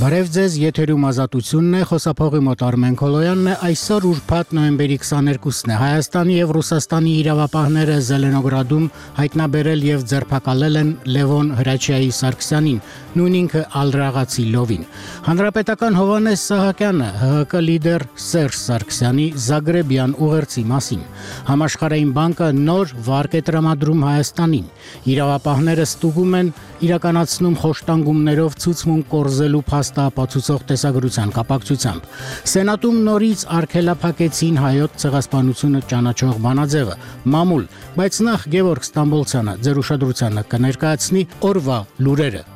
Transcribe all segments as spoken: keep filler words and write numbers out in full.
Բարև ձեզ, եթերում ազատությունն է, խոսափողի մոտ Արմեն Քոլոյանն է, այսօր ուրբաթ նոյեմբերի քսաներկուսն է, Հայաստանի և Ռուսաստանի իրավապահները Զելենոգրադում հայտնաբերել և ձերբակալել են Լևոն Հրաչյայի Սարգսյանին, նույն ինքը ալրաղացի լովին։ Հանրապետական Հովհաննես Սահակյանը ՀՀԿ լիդեր Սերժ Սարգսյանի Զագրեբյան ուղերձի մասին։ Համաշխարհային բանկը նոր վարկ է տրամադրում Հայաստանին։ Իրավապահները ստուգում են իրականացնում խոշտանգումներով ցուցմունք կորզելու փաստապացուցող տեսագրության կապակցությամբ։ Սենատում նորից արգելափակեցին հայոց ցեղասպանությունը ճանաչող բանաձևը, մամուլ, բայց նախ Գևորգ Ստամբոլցյանը ձեր ուշադրությանը կներկայացնի օրվա լուրերը։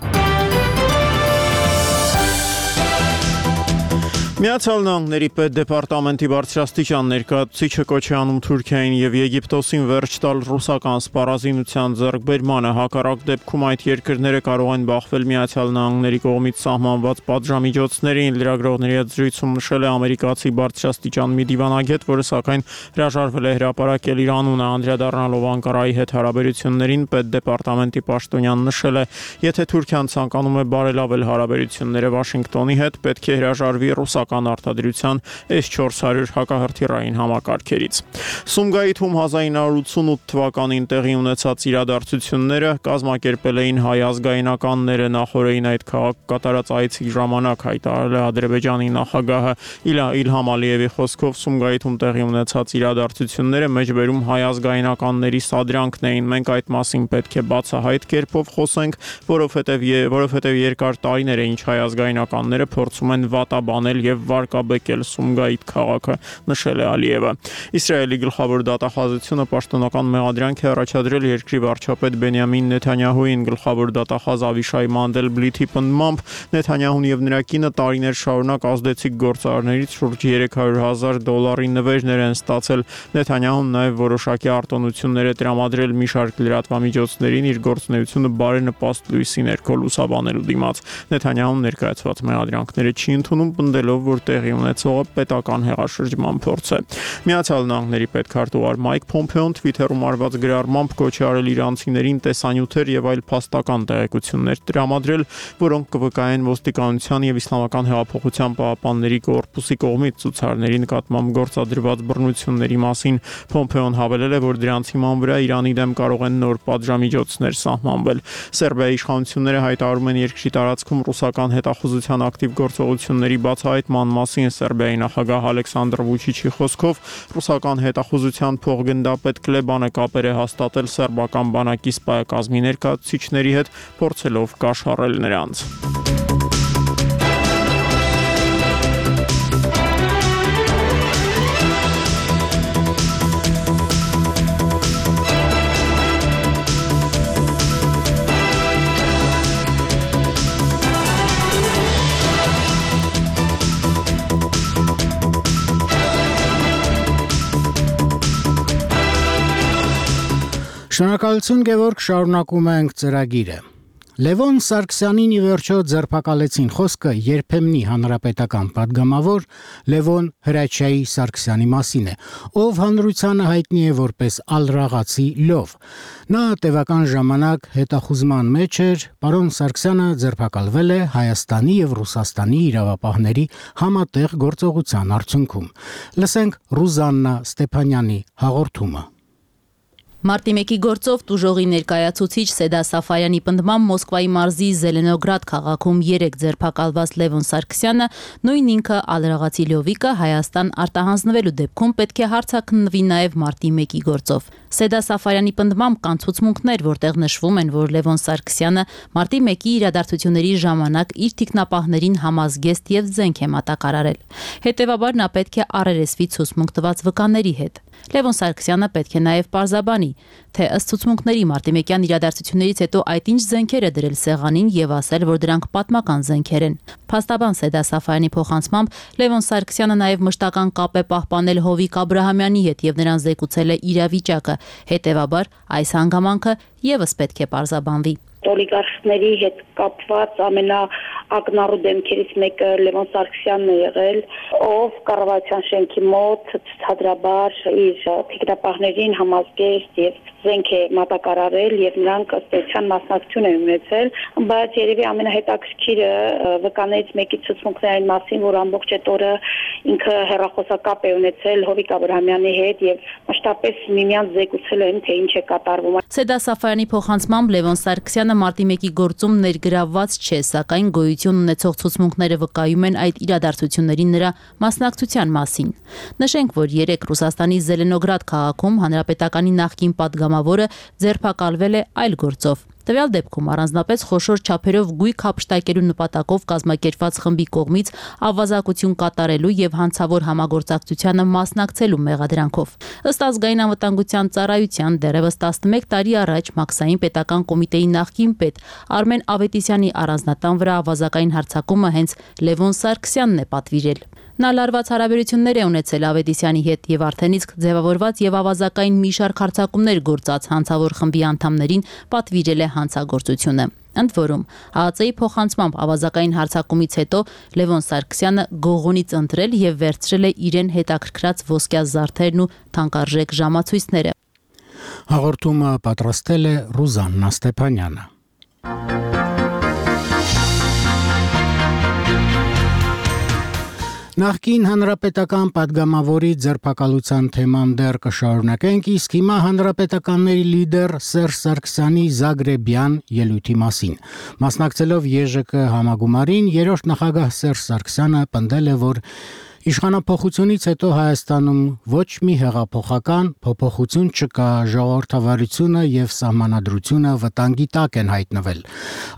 Միացյալ Նահանգների պետդեպարտամենտի բարձրաստիճան ներկայացուցիչը կոչ է անում Թուրքիային և Եգիպտոսին վերջ տալ ռուսական սպառազինության ձեռքբերմանը, հակառակ դեպքում այդ երկրները կարող են բախվել Միացյալ Նահանգների կողմից սահմանված պատժամիջոցներին, լրագրողների հետ զրույցում նշել է ամերիկացի բարձրաստիճան մի դիվանագետ, որը սակայն հրաժարվել է հրապարակել իր անունը, անդրադառնալով Անկարայի հետ հարաբերություններին, պետդեպարտամենտի պաշտոնյան նշել է, եթե Թուրքիան ցանկանում է բարելավել հարաբերությունները Վաշինգտոնի հետ, պետք է հրաժարվի ռուսական արտադրության էս չորս հարյուր հակահրթիռային համակարգերից։ Սումգայիթում հազար ինը հարյուր ութսունութ թվականին տեղի ունեցած իրադարձությունները կազմակերպել էին հայ ազգայնականները, նախորդին այդ քաղաք կատարած այցի ժամանակ հայտարարել է Ադրբեջանի նախագահը Իլհամ Ալիևի խոսքով Սումգայիթում տեղի ունեցած իրադարձությունները մեջբերում հայ ազգայնականների սադրանքն էին, մենք այդ մասին պետք է բացահայտ կերպով խոսենք, որովհետև որովհետև երկար տարիներ է ինչ հայ ազգայնականները փորձում են վատաբանել և վարկաբեկել Սումգայիթ քաղաքը, նշել է Ալիևը։ Իսրայելի գլխավոր դատախազությունը պաշտոնական մեղադրանք է առաջադրել երկրի վարչապետ Բենյամին Նեթանյահուին, գլխավոր դատախազ Ավիշայ Մանդելբլիթի պնդմամբ Նեթանյահուն և նրա կինը տարիներ շարունակ ազդեցիկ գործարարներից շուրջ երեք հարյուր հազար դոլարի նվերներ են ստացել։ Նեթանյահուն նաև որոշակի արտոնություններ է տրամադրել մի շարք լրատվամիջոցներին իր գործունեությունը բարենպաստ լույսի ներքո լուսաբանելու դիմաց։ Նեթանյահուն ներկայացված մեղադրանքները չի ընդունում, պնդելով, որ տեղի ունեցողը պետական հեղաշրջման փորձ է։ Միացյալ Նահանգների պետքարտուղար Մայք Փոմփեոն Թվիթերում արված գրառմամբ կոչ է արել իրանցիներին տեսանյութեր և այլ փաստական տեղեկություններ տրամադրել, որոնք կվկայեն ոստիկանության և Իսլամական հեղափոխության պահապանների կորպուսի կողմից ցուցարարների նկատմամբ գործադրված բռնությունների մասին։ Փոմփեոն հավելել է, որ դրանց հիման վրա Իրանի դեմ կարող են նոր պատժամիջոցներ սահմանվել։ Սերբիայի իշխանությունները հայտարարում են երկրի տարածքում ռուսական հետախուզության ակտիվ գործողությունների բացահայտման մասին։ Սերբիայի նախագահ Ալեքսանդր Վուչիչի խոսքով ռուսական հետախուզության փոխգնդապետ Կլեբանը կապեր է հաստատել սերբական բանակի սպայակազմի ներկայացուցիչների հետ, փորձելով կաշառել նրանց։ Շնորհակալություն Գևորգ, շարունակում ենք ծրագիրը։ Լևոն Սարգսյանին ի վերջո ձերբակալեցին, խոսքը երբեմնի հանրապետական պատգամավոր Լևոն Հրաչյայի Սարգսյանի մասին է, ով հանրությանը հայտնի է որպես ալրաղացի լով։ Նա տևական ժամանակ հետախուզման մեջ էր, պարոն Սարգսյանը ձերբակալվել է Հայաստանի և Ռուսաստանի իրավապահների համատեղ գործողության արդյունքում։ Լսենք Ռուզաննա Ստեփանյանի հաղորդումը։ Մարտի մեկի գործով տուժողի ներկայացուցիչ Սեդա Սաֆարյանի պնդմամբ Մոսկվայի մարզի Զելենոգրադ քաղաքում երեկ ձերբակալված Լևոն Սարգսյանը, նույն ինքը ալրաղացի լյովիկը Հայաստան արտահանձնվելու դեպքում պետք է հարցաքննվի նաև մարտի մեկի գործով։ Սեդա Սաֆարյանի պնդմամբ կան ցուցմունքներ, որտեղ նշվում են, որ Լևոն Սարգսյանը մարտի մեկի իրադարձությունների ժամանակ իր թիկնապահներին համազգեստ և զենք է մատակարարել։ Հետևաբար նա պետք է առերեսվի ցուցմունք տված վկաների հետ։ Լևոն Սարգսյանը պետք է նաև պարզաբանի, թե ըստ ցուցմունքների մարտիմեկյան իրադարձություններից հետո այդ ինչ զենքեր է դրել սեղանին և ասել, որ դրանք պատմական զենքեր են։ Փաստաբան Սեդա Սաֆարյանի փոխանցմամբ Լևոն Սարգսյանը նաև մշտական կապ է պահպանել Հովիկ Աբրահամյանի հետ և նրան զեկուցել է իրավիճակը։ Հետևաբար այս հանգամանքը ևս պետք է պարզաբանվի։ Օլիգարխների հետ կապված ամենաակնառու դեմքերից մեկը Լևոն Սարգսյանն է եղել, ով կառավարության շենքի մոտ ցուցադրաբար իր թիկնապահներին համազգեստ եւ զենք է մատակարարել եւ նրանք ըստ էության մասնակցություն են ունեցել, բայց երևի ամենահետաքրքիրը վկաներից մեկի ցուցմունքների մասին, որ ամբողջ այդ օրը ինքը հեռախոսակապ է ունեցել Հովիկ Աբրահամյանի հետ եւ մշտապես միմյանց զեկուցել են, թե ինչ է կատարվում։ Սեդա Սաֆարյանի փոխանցմամբ Լևոն Սարգսյանը մարտի մեկի գործում ներգրավված չէ, սակայն գոյություն ունեցող ցուցմունքները վկայում են այդ իրադարձությունների նրա մասնակցության մասին։ Նշենք, որ երեք Ռուսաստանի Զելենոգրադ քաղաքում հանրապետականի նախկին պատգամավորը ձերբակալվել է այլ գործով։ Տվյալ դեպքում առանձնապես խոշոր չափերով գույք հափշտակելու նպատակով կազմակերպված խմբի կողմից ավազակություն կատարելու եւ հանցավոր համագործակցությանը մասնակցելու մեղադրանքով։ Ըստ ազգային անվտանգության ծառայության դեռևս տասնմեկ տարի առաջ Մաքսային պետական կոմիտեի նախկին պետ Արմեն Ավետիսյանի առանձնատան վրա ավազակային հարձակումը հենց Լևոն Սարգսյանն է պատվիրել։ Նա լարված հարաբերություններ է ունեցել Ավետիսյանի հետ եւ արդեն իսկ ձևավորված եւ ավազակային մի շարք հարձակումներ գործած հանցավոր խմբի անդամներին պատվիրել է հանցագործությունը։ Ընդ որում, ՀԱԱՑ-ի փոխանցմամբ ավազակային հարձակումից հետո Լևոն Սարգսյանը գողոնից ընտրել եւ վերցրել է իրեն հետաքրքրած ոսկյա զարդերն ու թանկարժեք ժամացույցները։ Հաղորդումը պատրաստել է Ռուզաննա Ստեփանյանը։ Նախկին հանրապետական պատգամավորի ձերբակալության թեման դեռ կշարունակենք, իսկ հիմա հանրապետականների լիդեր Սերժ Սարգսյանի Զագրեբյան ելույթի մասին։ Մասնակցելով ԵԺԿ համագումարին, երրորդ նախագահ Սերժ Սարգսյանը պնդել է, որ իշխանափոխությունից հետո Հայաստանում ոչ մի հեղափոխական փոփոխություն չկա, ժողովրդավարությունը եւ սահմանադրությունը վտանգի տակ են հայտնվել։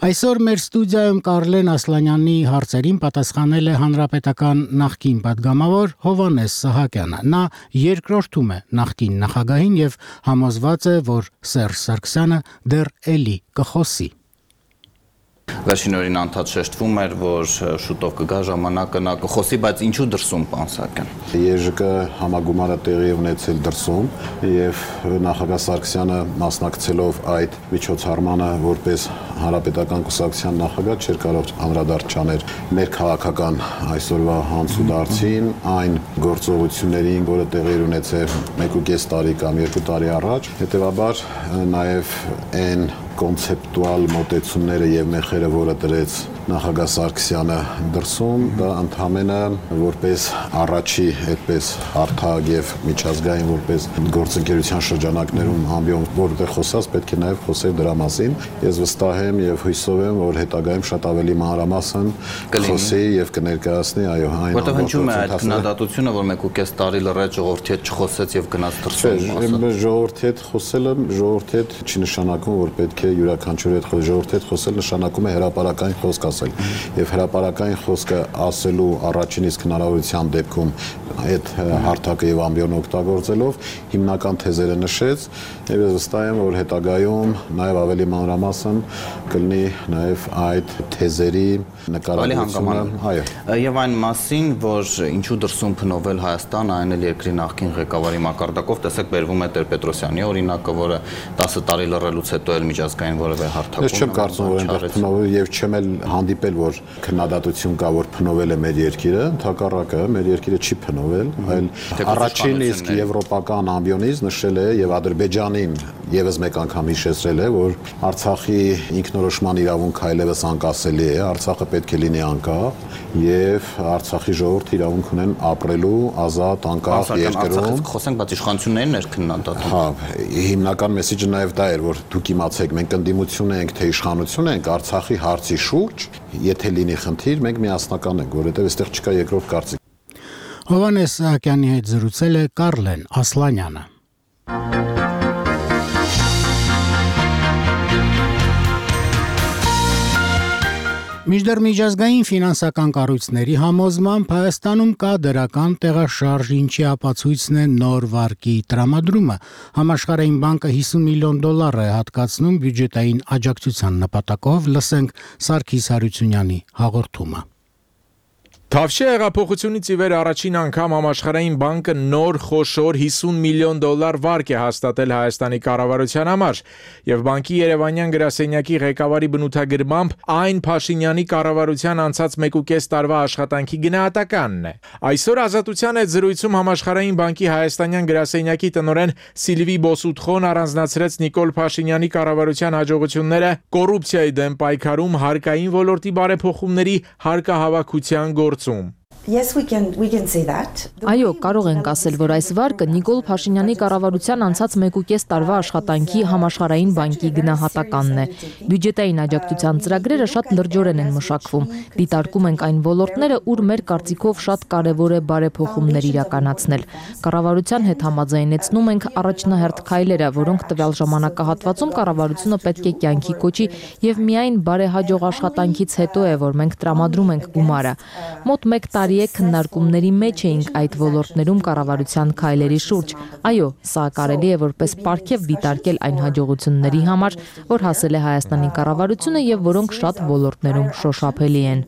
Այսօր մեր ստուդիայում Կարլեն Ասլանյանի հարցերին պատասխանել է հանրապետական նախկին պատգամավոր Հովհաննես Սահակյանը։ Նա երկրորդում է նախկին նախագահին եւ համոզված է, որ Սերժ Սարգսյանը դեռ էլի կխոսի։ Վերջին օրին անդադ շեշտվում էր, որ շուտով կգա ժամանակը նա կխոսի, բայց ինչու դրսում, պարոն Սահակյան։ ԵԺԿ համագումարը տեղի ունեցել դրսում եւ նախագահ Սարգսյանը մասնակցելով այդ միջոցառմանը որպես հանրապետական կուսակցության նախագահ չէր կարող անդրադարձ չանել մեր քաղաքական այսօրվա հանցուդարձին, այն գործողություններին, որը տեղի ունեցել մեկ ու կես տարի կամ երկու տարի առաջ, հետեւաբար նաեւ այն կոնցեպտուալ մոտեցումները եւ մեխերը, որը դրեց նախագահ Սարգսյանը դրսում, դա ընդհանրապես որպես առաջի այդպես հարթակ եւ միջազգային որպես գործընկերության շրջանակներում ամբիոն որտեղ խոսած պետք է նաեւ խոսել դրա մասին։ Ես վստահ եմ եւ հույսով եմ, որ հետագայում շատ ավելի մանրամասն խոսի եւ կներկայացնի, այո, այն որտեղ հնչում է այդ քննադատությունը, որ մեկ ու կես տարի լրիվ ժողովրդի հետ չխոսեց եւ գնաց դրսում։ Ժողովրդի հետ խոսելը ժողովրդի հետ չի նշանակում, որ պետք է յուրաքանչյուրի հետ խոսել, ժողովրդի հետ խոսել նշանակում է հրապարակային խոսք ասել, եւ հրապարակային խոսքը ասելու առաջին իսկ հնարավորության դեպքում այդ հարթակը եւ ամբիոնը օգտագործելով հիմնական թեզերը նշեց եւ ես վստահ եմ, որ հետագայում նաեւ ավելի մանրամասն կլինի նաեւ այդ թեզերի նկարագրությունը, այո, եւ այն մասին, որ ինչու դրսում փնովել Հայաստան, այն էլ երկրի նախկին ղեկավարի մակարդակով, տեսեք, բերվում է Տեր-Պետրոսյանի օրինակը, որը տասը տարի լռելուց հետո էլ միջազգային որևէ հարթակում։ Ես չեմ կարծում, որ այնտեղ փնովել եւ չեմ էլ հանդիպել, որ քննադատություն կա, որ փնովել է մեր երկիրը, ընդհակառակը մեր երկիրը չի փնովել, այլ առաջին իսկ եվրոպական ամբիոնից նշել է եւ Ադրբեջանին եւս մեկ անգամ հիշեցրել է, որ Արցախի ինքնորոշման իրավունքը այլևս անկասելի է, Արցախը պետք է լինի անկախ եւ Արցախի ժողովուրդը իրավունք ունեն ապրելու ազատ անկախ երկրում։ Խոսենք, բայց իշխանություններն էր քննադատում։ Հա, հիմնական մեսեջը նաեւ դա էր, որ դուք իմացեք, մենք ընդդիմություն ենք, թե իշխանություն ենք Արցախի հարցի շուրջ, եթե լինի խնդիր, մենք միասնական ենք, որովհետեւ այստեղ չկա երկրորդ կարծիք։ Հովհաննես Սահակյանի հետ զրուցել է Կարլեն Ասլանյանը։ Միջդեռ միջազգային ֆինանսական կառույցների համոզմամբ Հայաստանում կա դրական տեղաշարժ, ինչի ապացույցն է նոր վարկի տրամադրումը։ Համաշխարհային բանկը հիսուն միլիոն դոլար է հատկացնում բյուջետային աջակցության նպատակով, լսենք Սարգիս Հարությունյանի հաղորդումը։ Թավշյա հեղափոխությունից ի վեր առաջին անգամ Համաշխարհային բանկը նոր խոշոր հիսուն միլիոն դոլար վարկ է հաստատել Հայաստանի կառավարության համար, եւ բանկի Երևանյան գրասենյակի ղեկավարի բնութագրմամբ այն Փաշինյանի կառավարության անցած մեկուկես տարվա աշխատանքի գնահատականն է։ Այսօր Ազատության հետ զրույցում Համաշխարհային բանկի հայաստանյան գրասենյակի տնօրեն Սիլվի Բոսուտխոն առանձնացրեց Նիկոլ Փաշինյանի կառավարության հաջողությունները կոռուպցիայի դեմ պայքարում, հարկային ոլորտի բարեփոխումների, հարկահավաքության գործ Yes, we can, we can say that. Այո, կարող ենք ասել, որ այս վարկը Նիկոլ Փաշինյանի կառավարության անցած մեկուկես տարվա աշխատանքի Համաշխարհային բանկի գնահատականն է։ Բյուջետային աջակցության ծրագրերը շատ լրջորեն են մշակվում։ Դիտարկում ենք այն ոլորտները, ուր մեր կարծիքով շատ կարևոր է բարեփոխումներ իրականացնել։ Կառավարության հետ համաձայնեցնում ենք առաջնահերթ քայլերը, որոնք տվյալ ժամանակահատվածում կառավարությունը պետք է կյանքի կոչի եւ միայն բարեհաջող աշխատանքից հետո է, որ մենք տրամադրում ենք գումարը։ Մոտ մեկ տարի է քննարկումների մեջ էինք այդ ոլորտներում կառավարության քայլերի շուրջ։ Այո, սա կարելի է որպես պարգև դիտարկել այն հաջողությունների համար, որ հասել է Հայաստանի կառավարությունը եւ որոնք շատ ոլորտներում շոշափելի են։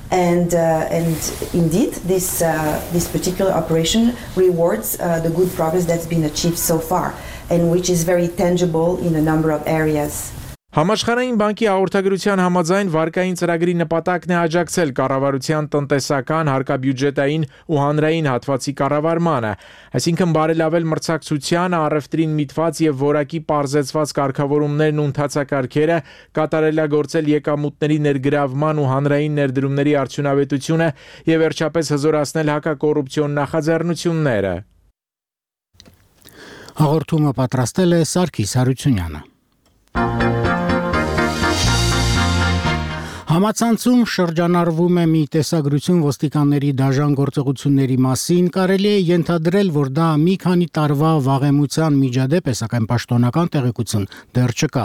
And uh, and indeed this uh, this particular operation rewards uh, the good progress that's been achieved so far and which is very tangible in a number of areas. Համաշխարհային բանկի հաղորդագրության համաձայն վարկային ծրագրի նպատակն է աջակցել կառավարության տնտեսական, հարկաբյուջետային ու հանրային հատվածի կառավարմանը, այսինքն բարելավել մրցակցության, առևտրին միտված եւ որակի պարզեցված կարգավորումներն ու ընթացակարգերը, կատարելագործել եկամուտների ներգրավման ու հանրային ներդրումների արդյունավետությունը եւ վերջապես հզորացնել հակակոռուպցիոն նախաձեռնությունները։ Հաղորդումը պատրաստել է Սարգիս Հարությունյանը։ Համացանցում շրջանառվում է մի տեսագրություն ոստիկանների դաժան գործողությունների մասին, կարելի է ենթադրել, որ դա մի քանի տարվա վաղեմության միջադեպ է, սակայն պաշտոնական տեղեկություն դեռ չկա։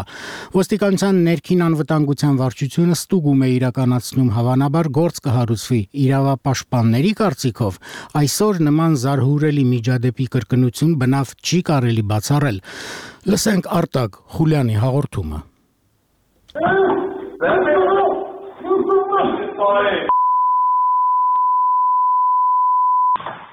Ոստիկանության ներքին անվտանգության վարչությունը ստուգում է իրականացնում, հավանաբար գործ կհարուցվի։ Իրավապաշտպանների կարծիքով այսօր նման զարհուրելի միջադեպի կրկնություն բնավ չի կարելի բացառել։ Լսենք Արտակ Խուլյանի հաղորդումը։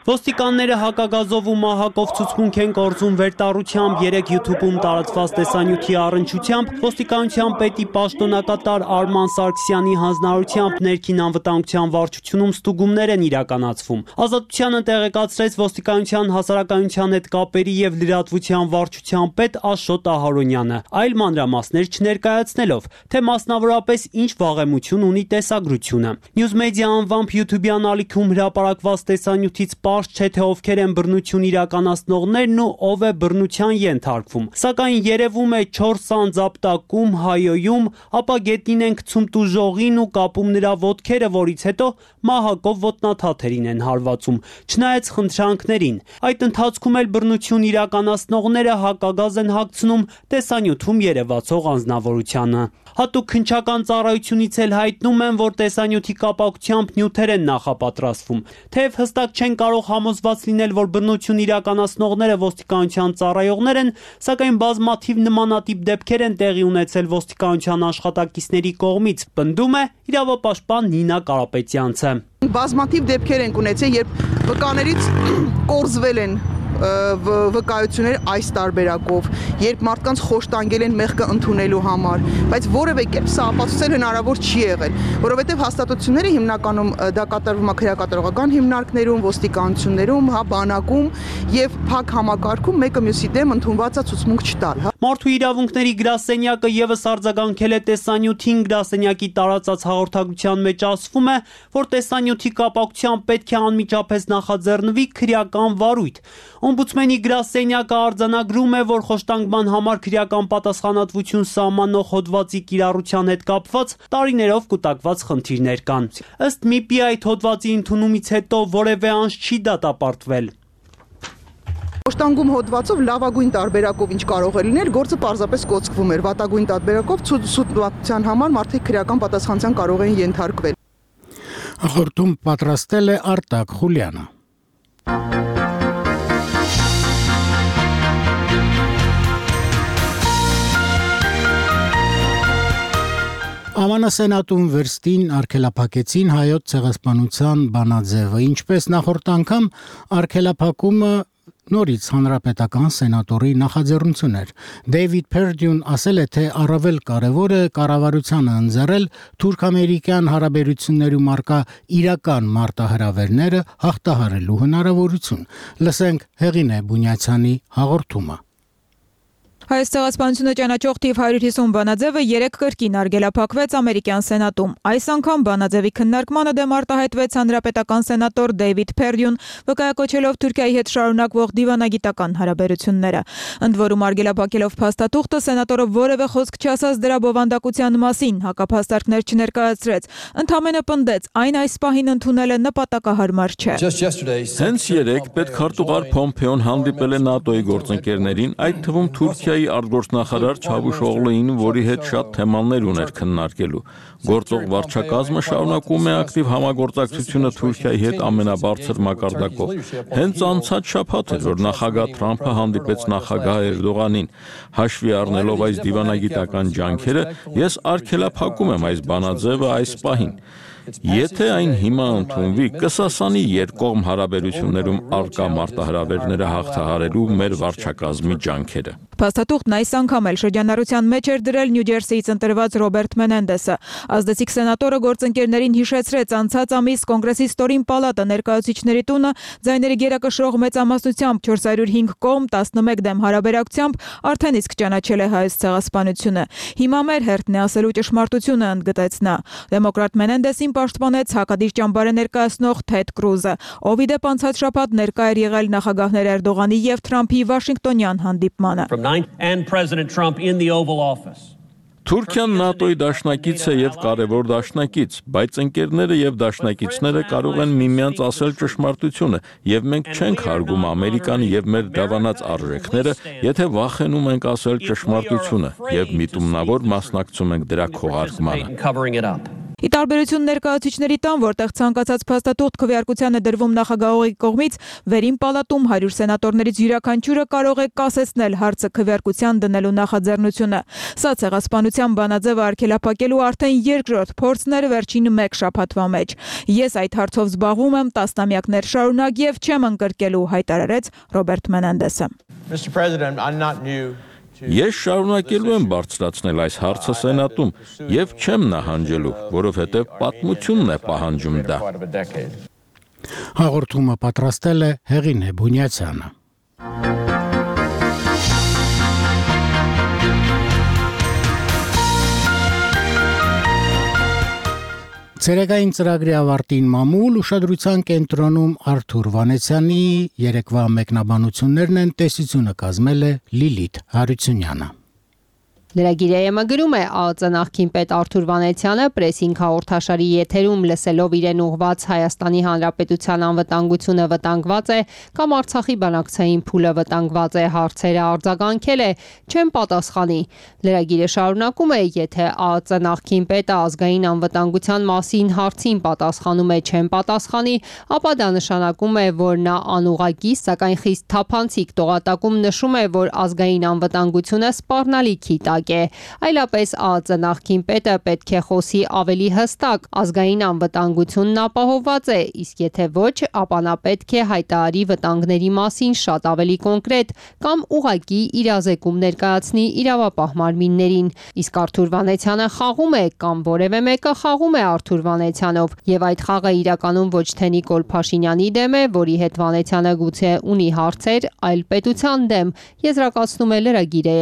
Ոստիկանները հակագազով ու մահակով ցուցմունք են կորցում վերտառությամբ երեք YouTube-ում տարածված տեսանյութի առնչությամբ ոստիկանության պետի պաշտոնակատար Արման Սարգսյանի հանձնարարությամբ ներքին անվտանգության վարչությունում ստուգումներ են իրականացվում։ Ազատությանը տեղեկացրեց ոստիկանության հասարակայնության հետ կապերի եւ լրատվության վարչության պետ Աշոտ Ահարոնյանը, այլ մանրամասներ չներկայացնելով, թե մասնավորապես ինչ վաղեմություն ունի տեսագրությունը։ Newsmedia անվամբ YouTube-յան ալիքում հրապարակված տեսանյութից չէ թե ովքեր են բռնություն իրականացնողներն ու ով է բռնության ենթարկվում։ Սակայն երևում է չորս անձապտակում, հայոյում, ապա գետնին են գցում տուժողին ու կապում նրա ոտքերը, որից հետո մահակով ոտնաթաթերին են հարվածում, չնայած խնդրանքներին։ Այդ ընթացքում էլ բռնություն իրականացնողները հակագազ են հագցնում տեսանյութում երևացող անձնավորությանը։ Հատուկ քննչական ծառայությունից էլ հայտնում են, որ տեսանյութի կապակցությամբ նյութեր են նախապատրաստվում։ Թեև հստակ չեն կարող համոզված լինել, որ բռնություն իրականացնողները ոստիկանության ծառայողներ են, սակայն բազմաթիվ նմանատիպ դեպքեր են տեղի ունեցել ոստիկանության աշխատակիցների կողմից, պնդում է իրավապաշտպան Նինա Կարապետյանցը։ Բազմաթիվ դեպքեր են ունեցել, երբ վկաներից կորզվել են վկայություններ այս տարբերակով, երբ մարդկանց խոշտանգել են մեղքը ընդունելու համար, բայց որևէ կերպ սա ապացուցել հնարավոր չի եղել, որովհետև հաստատությունները հիմնականում դա կատարվում է քրեակատարողական հիմնարկներում, ոստիկանություններում, հա բանակում եւ փակ համակարգում մեկը մյուսի դեմ ընդունված է ցուցմունք չտալ, հա։ Մարդու իրավունքների գրասենյակը եւս արձագանքել է տեսանյութին, գրասենյակի տարածած հաղորդագրության մեջ ասվում է, որ տեսանյութի կապակցությամբ պետք է անմիջապես նախաձեռնվի քրեական վարույթ։ Օմբուդսմենի գրասենյակը արձանագրում է, որ խոշտանգման համար քրեական պատասխանատվություն սահմանող հոդվածի կիրառության հետ կապված տարիներով կուտակված խնդիրներ կան։ Ըստ ՄԻՊ-ի այդ հոդվածի ընդունումից հետո որևէ անց չի դատապարտվել։ Խոշտանգում հոդվածով լավագույն տարբերակով ինչ կարող է լինել, գործը պարզապես կոծկվում էր, վատագույն տարբերակով ցուցվածության համար մարդիկ քրեական պատասխանատվության կարող են ենթարկվել։ Հաղորդում պատրաստել է Արտակ Խուլյանը։ Ամանա սենատում վերստին արգելափակեցին հայոց ցեղասպանության բանաձևը, ինչպես նախորդ անգամ արգելափակումը նորից հանրապետական սենատորի նախաձեռնություն էր։ Դեյվիդ Փերդյուն ասել է, թե առավել կարևոր է կառավարությանը ընձեռել թուրք-ամերիկյան հարաբերություններում առկա իրական մարտահրավերները հաղթահարելու հնարավորություն։ Լսենք Հեղինե Բունյացյանի հաղորդումը։ Հայոց ցեղասպանությունը ճանաչող թիվ հարյուր հիսուն բանաձևը երեք կրկին արգելափակվեց ամերիկյան սենատում։ Այս անգամ բանաձևի քննարկմանը դեմ արտահայտվեց հանրապետական սենատոր Դեյվիդ Փերդյուն, վկայակոչելով Թուրքիայի հետ շարունակվող դիվանագիտական հարաբերությունները։ Ընդ որում արգելափակելով փաստաթուղթը սենատորը որևէ խոսք չասաց դրա բովանդակության մասին, հակափաստարկներ չներկայացրեց, ընդհանրապես պնդեց, այն այս պահին ընդունելը նպատակահարմար չէ։ Հենց երեք պետքարտուղար Փոմփեոն հանդիպել է ՆԱՏՕ-ի գործընկերներին, այդ թվում Թուրքիայի արտգործնախարար Չավուշօղլուին, որի հետ շատ թեմաներ ուներ քննարկելու։ Գործող վարչակազմը շարունակում է ակտիվ համագործակցությունը Թուրքիայի հետ ամենաբարձր մակարդակով։ Հենց անցած շաբաթ էր, որ նախագահ Թրամփը հանդիպեց նախագահ Էրդողանին։ Հաշվի առնելով այս դիվանագիտական ջանքերը, ես արգելափակում եմ այս բանաձևը այս պահին։ Եթե այն հիմա ընդունվի, կսասանի երկկողմ հարաբերություններում առկա մարտահրավերները հաղթահարելու մեր վարչակազմի ջանքերը։ Փաստաթուղթն այս անգամ էլ շրջանառության մեջ էր դրել Նյու Ջերսիից ընտրված Ռոբերտ Մենենդեսը։ Ազդեցիկ սենատորը գործընկերներին հիշեցրեց անցած ամիս Կոնգրեսի ստորին պալատը ներկայացուցիչների տունը ձայների գերակշռող մեծամասնությամբ չորս հարյուր հինգ կողմ տասնմեկ դեմ հարաբերակցությամբ արդեն իսկ ճանաչել է հայոց ցեղասպանությունը։ Հիմա մեր հերթն է ասելու ճշմարտությունը, ընդգծեց նա։ Դեմոկրատ Մենենդեսին պաշտպանեց հակադիր ճամբարը ներկայացնող Թեդ Կրուզը, ով ի դեպ անցած շաբաթ ներկա էր եղել նախագահներ Էրդողանի եւ Թրամփի Վաշինգտոնյան հանդիպմանը։ And President Trump in the Oval Office. Թուրքիան ՆԱՏՕ-ի դաշնակից է եւ կարևոր դաշնակից, բայց ընկերները եւ դաշնակիցները կարող են միմյանց ասել ճշմարտությունը, եւ մենք չենք հարգում Ամերիկան եւ մեր դավանած արժեքները, եթե վախենում ենք ասել ճշմարտությունը եւ միտումնավոր մասնակցում ենք դրա քողարկմանը։ Ի տարբերություն ներկայացուցիչների տան, որտեղ ցանկացած փաստաթուղթ քվեարկության է դրվում նախագահողի կողմից, վերին պալատում հարյուր սենատորներից յուրաքանչյուրը կարող է կասեցնել հարցը քվեարկության դնելու նախաձեռնությունը։ Սա ցեղասպանության բանաձևը արգելափակելու արդեն երկրորդ փորձն էր վերջին մեկ շաբաթվա մեջ։ Ես այդ հարցով զբաղվում եմ տասնամյակներ շարունակ եւ չեմ ընկրկելու, հայտարարեց Ռոբերտ Մենենդեսը։ Mister President, I'm not new. Ես շարունակելու եմ բարձրացնել այս հարցը սենատում եւ չեմ նահանջելու, որովհետեւ պատմությունն է պահանջում դա։ Հաղորդումը պատրաստել է Հեղինե Բունյացյանը։ Ցերեկային ծրագրի ավարտին մամուլ ուշադրության կենտրոնում Արթուր Վանեցյանի երեկվա մեկնաբանություններն են, տեսությունը կազմել է Լիլիթ Հարությունյանը։ Լրագիրը գրում է ԱԱԾ նախկին պետ Արթուր Վանեցյանը պրեսինգ հաղորդաշարի եթերում լսելով իրեն ուղված Հայաստանի Հանրապետության անվտանգությունը վտանգված է կամ Արցախի բանակցային փուլը վտանգված է հարցերը արձագանքել է, չեմ պատասխանի։ Լրագիրը շարունակում է, եթե ԱԱԾ նախկին պետը ազգային անվտանգության մասին հարցին պատասխանում է չեմ պատասխանի, ապա դա նշանակում է, որ նա անուղղակի, սակայն խիստ թափանցիկ տողատակում նշում է, որ ազգային անվտանգությունը սպառնալիքի տակ է, այլապես ԱԱԾ նախկին պետը պետք է խոսի ավելի հստակ, ազգային անվտանգությունն ապահովված է, իսկ եթե ոչ, ապա նա պետք է հայտարարի վտանգների մասին շատ ավելի կոնկրետ կամ ուղղակի իրազեկում ներկայացնի իրավապահ մարմիններին, իսկ Արթուր Վանեցյանը խաղում է կամ որևէ մեկը խաղում է Արթուր Վանեցյանով, եւ այդ խաղը իրականում ոչ թե Նիկոլ Փաշինյանի դեմ է, որի հետ Վանեցյանը գուցե ունի հարցեր, այլ պետության դեմ, եզրակացնում է լրագիրը։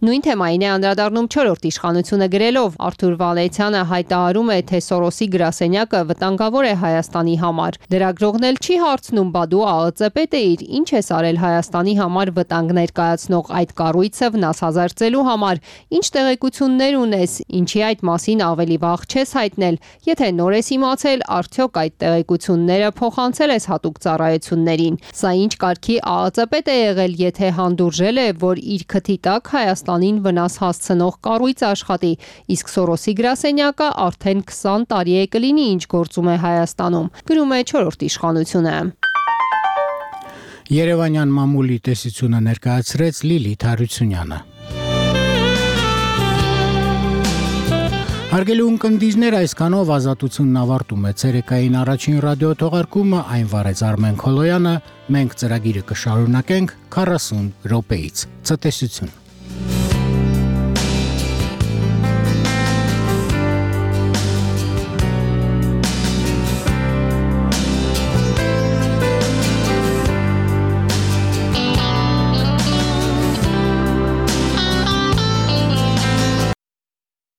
Նույն թեմային է անդրադառնում չորրորդ իշխանությունը գրելով. Արթուր Վանեցյանը հայտարարում է, թե Սորոսի գրասենյակը վտանգավոր է Հայաստանի համար։ Լրագրողն էլ չի հարցնում, բա դու ԱԱԾ պետ էիր, ինչ ես արել Հայաստանի համար վտանգ ներկայացնող այդ կառույցը վնասազերծելու համար, ինչ տեղեկություններ ունես, ինչի այդ մասին ավելի վաղ չես հայտնել, եթե նոր ես իմացել, արդյոք այդ տեղեկությունները փոխանցել ես հատուկ ծառայություններին։ Սա ինչ կարգի ԱԱԾ պետ է եղել, եթե հանդուրժել է, որ իր քթի տակ Հայաստանին վնաս հասցնող կառույց աշխատի, իսկ Սորոսի գրասենյակը արդեն քսան տարի է կլինի, ինչ գործում է Հայաստանում, գրում է չորրորդ իշխանությունը։ Երևանյան մամուլի տեսությունը ներկայացրեց Լիլիթ Հարությունյանը։ Հարգելի ունկնդիրներ, այսքանով ազատությունն ավարտում է ցերեկային առաջին ռադիո թողարկումը, այն վարեց Արմեն Քոլոյանը, մենք ծրագիրը կշարունակենք քառասուն րոպեից։ Ցտեսություն։